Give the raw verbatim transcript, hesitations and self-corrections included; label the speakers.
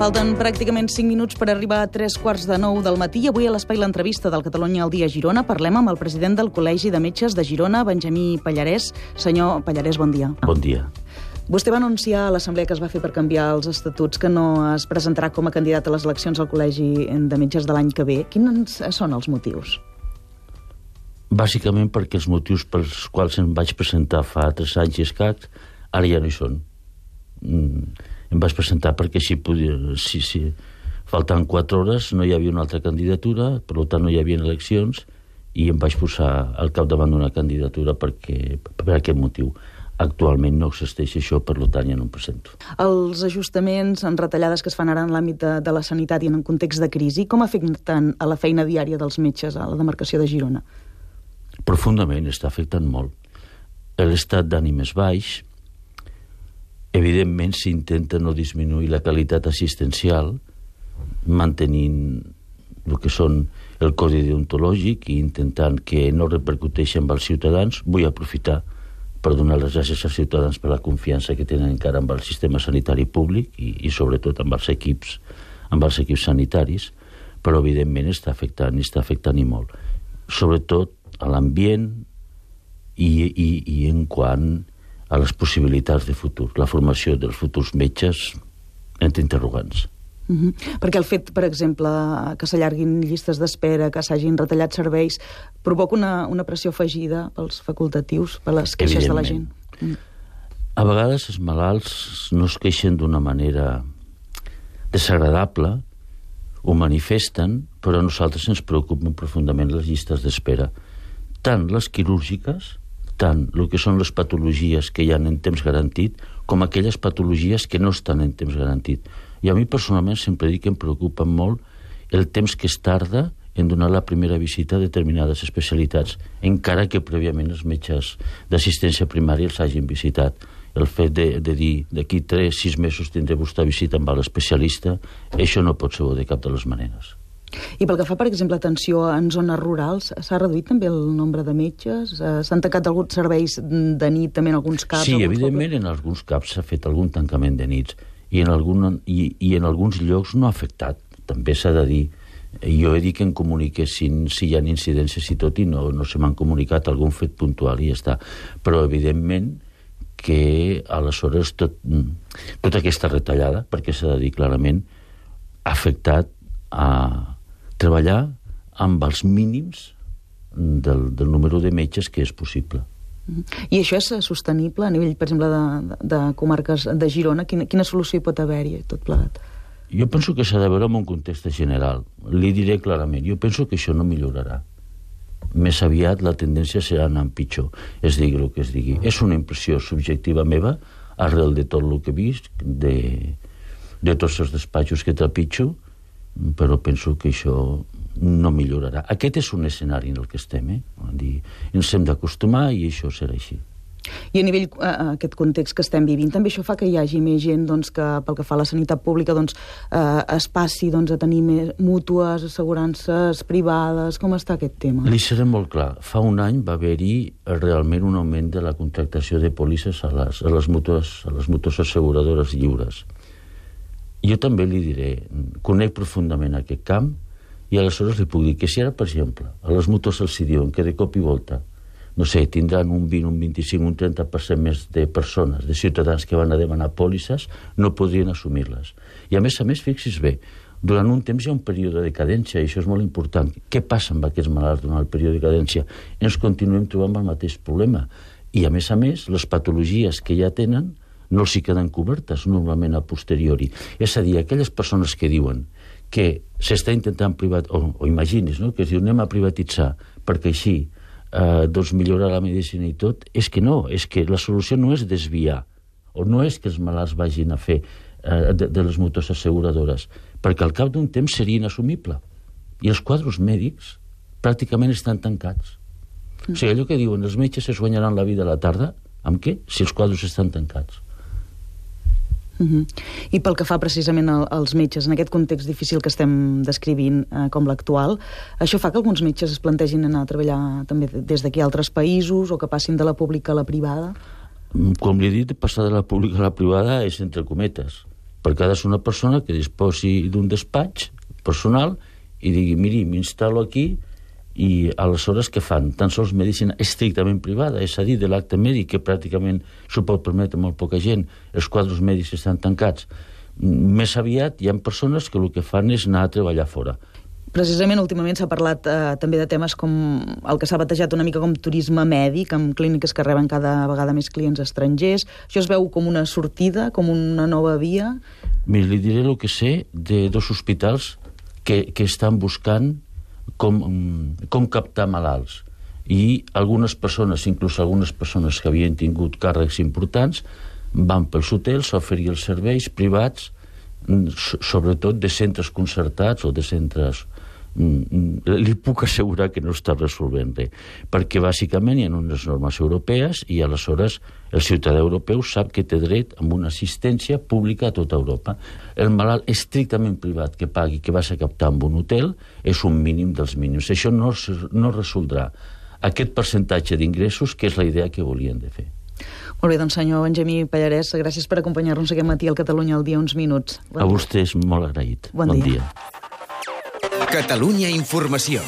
Speaker 1: Falten pràcticament cinc minuts per arribar a tres quarts de nou del matí. Avui a l'Espai l'entrevista del Catalunya al dia Girona parlem amb el president del Col·legi de Metges de Girona, Benjamí Pallarès. Senyor Pallarès, bon dia.
Speaker 2: Bon dia.
Speaker 1: Vostè va anunciar a l'assemblea que es va fer per canviar els estatuts que no es presentarà com a candidat a les eleccions al Col·legi de Metges de l'any que ve. Quins són els motius?
Speaker 2: Bàsicament perquè els motius pels quals em vaig presentar fa tres anys i escaig ara ja no hi són. Mm, em vaig presentar perquè si, podia, si, si faltaven quatre hores no hi havia una altra candidatura, per tant no hi havia eleccions, i em vaig posar al capdavant d'una candidatura perquè, per aquest motiu. Actualment no existeix això, per tant ja no em presento.
Speaker 1: Els ajustaments en retallades que es fan ara en l'àmbit de, de la sanitat i en un context de crisi, com afecten a la feina diària dels metges a la demarcació de Girona?
Speaker 2: Profundament, està afectant molt. L'estat d'ànim és baix. Evidentment s'intenta no disminuir la qualitat assistencial mantenint el que són el codi deontològic i intentant que no repercuteixi amb els ciutadans. Vull aprofitar per donar les gràcies als ciutadans per la confiança que tenen encara amb el sistema sanitari públic i, i sobretot amb els equips amb els equips sanitaris, però evidentment està afectant i està afectant i molt. Sobretot a l'ambient i, i, i en quant a les possibilitats de futur. La formació dels futurs metges entre interrogants.
Speaker 1: Mm-hmm. Perquè el fet, per exemple, que s'allarguin llistes d'espera, que s'hagin retallat serveis, provoca una, una pressió afegida pels facultatius, per les queixes de la gent. Mm.
Speaker 2: A vegades els malalts no es queixen d'una manera desagradable, ho manifesten, però a nosaltres ens preocupen profundament les llistes d'espera. Tant les quirúrgiques, tant el que són les patologies que hi ha en temps garantit, com aquelles patologies que no estan en temps garantit. I a mi personalment sempre dic que em preocupa molt el temps que es tarda en donar la primera visita a determinades especialitats, encara que prèviament els metges d'assistència primària els hagin visitat. El fet de, de dir d'aquí tres, sis mesos tindré vostè visita amb l'especialista, això no pot ser bo de cap de les maneres.
Speaker 1: I pel que fa, per exemple, atenció en zones rurals, s'ha reduït també el nombre de metges? S'han tancat alguns serveis de nit també en alguns caps?
Speaker 2: Sí, evidentment pobles? En alguns caps s'ha fet algun tancament de nits i en, algun, i, i en alguns llocs no ha afectat, també s'ha de dir. Jo he dit que em comuniquessin si hi ha incidències i tot, i no, no se m'han comunicat algun fet puntual i ja està. Però evidentment que aleshores tot, tota aquesta retallada, perquè s'ha de dir clarament, ha afectat a treballar amb els mínims del, del número de metges que és possible.
Speaker 1: I això és sostenible a nivell, per exemple, de, de comarques de Girona? Quina, quina solució hi pot haver-hi tot plegat?
Speaker 2: Jo penso que s'ha de veure en un context general. Li diré clarament, jo penso que això no millorarà. Més aviat la tendència serà anar pitjor, es digui el que es digui. És una impressió subjectiva meva, arrel de tot el que he vist, de, de tots els despatxos que trepitjo, però penso que això no millorarà. Aquest és un escenari en el que estem, eh? Dir, ens hem d'acostumar i això serà així.
Speaker 1: I a nivell, a aquest context que estem vivint, també això fa que hi hagi més gent doncs, que pel que fa a la sanitat pública doncs, eh, es passi doncs, a tenir més mútues, assegurances privades. Com està aquest tema?
Speaker 2: Li seré molt clar. Fa un any va haver-hi realment un augment de la contractació de pòlisses a les, a les, mútues, a les mútues asseguradores lliures. Jo també li diré, conec profundament aquest camp i aleshores li puc dir que si ara, per exemple, a les mútues els diuen que de cop i volta, no sé, tindran un vint, un vint-i-cinc, un trenta per cent més de persones, de ciutadans que van a demanar pòlisses, no podrien assumir-les. I a més a més, fixis bé, durant un temps hi ha un període de cadència, i això és molt important. Què passa amb aquests malalts durant el període de cadència? Ens continuem trobant el mateix problema. I a més a més, les patologies que ja tenen no els hi queden cobertes normalment a posteriori. És a dir, aquelles persones que diuen que s'està intentant privatitzar, o, o imagines, no? Que es diu anem a privatitzar perquè així eh, doncs millorar la medicina i tot, és que no, és que la solució no és desviar, o no és que els malalts vagin a fer eh, de, de les mútues asseguradores, perquè al cap d'un temps seria inassumible. I els quadros mèdics pràcticament estan tancats. Mm. O sigui, allò que diuen, els metges es guanyaran la vida a la tarda, amb què? Si els quadros estan tancats.
Speaker 1: Uh-huh. I pel que fa precisament als metges, en aquest context difícil que estem descrivint eh, com l'actual, això fa que alguns metges es plantegin anar a treballar també des d'aquí a altres països o que passin de la pública a la privada?
Speaker 2: Com li he dit, passar de la pública a la privada és entre cometes. perquè ha de ser una persona que disposi d'un despatx personal i digui, miri, m'instal·lo aquí, i aleshores què fan? Tan sols medicina estrictament privada, és a dir, de l'acte mèdic, que pràcticament s'ho pot permetre molt poca gent, els quadres mèdics estan tancats. Més aviat hi ha persones que el que fan és anar a treballar fora.
Speaker 1: Precisament, últimament s'ha parlat eh, també de temes com el que s'ha batejat una mica com turisme mèdic, amb clíniques que reben cada vegada més clients estrangers. Això es veu com una sortida, com una nova via?
Speaker 2: Mira, li diré el que sé de dos hospitals que, que estan buscant com, com captar malalts. I algunes persones, inclús algunes persones que havien tingut càrrecs importants, van pels hotels a oferir els serveis privats, sobretot de centres concertats o de centres... Li puc assegurar que no està resolvent res, perquè bàsicament hi ha unes normes europees i aleshores el ciutadà europeu sap que té dret a una assistència pública a tota Europa. El malalt estrictament privat que pagui, que vas a captar en un hotel, és un mínim dels mínims. Això no, no resoldrà aquest percentatge d'ingressos, que és la idea que volien de fer.
Speaker 1: Molt bé, doncs senyor Benjamí Pallarès, gràcies per acompanyar-nos aquest matí al Catalunya al dia uns minuts.
Speaker 2: Bon a vostès molt agraït.
Speaker 1: Bon, bon dia. dia.
Speaker 3: Catalunya Informació.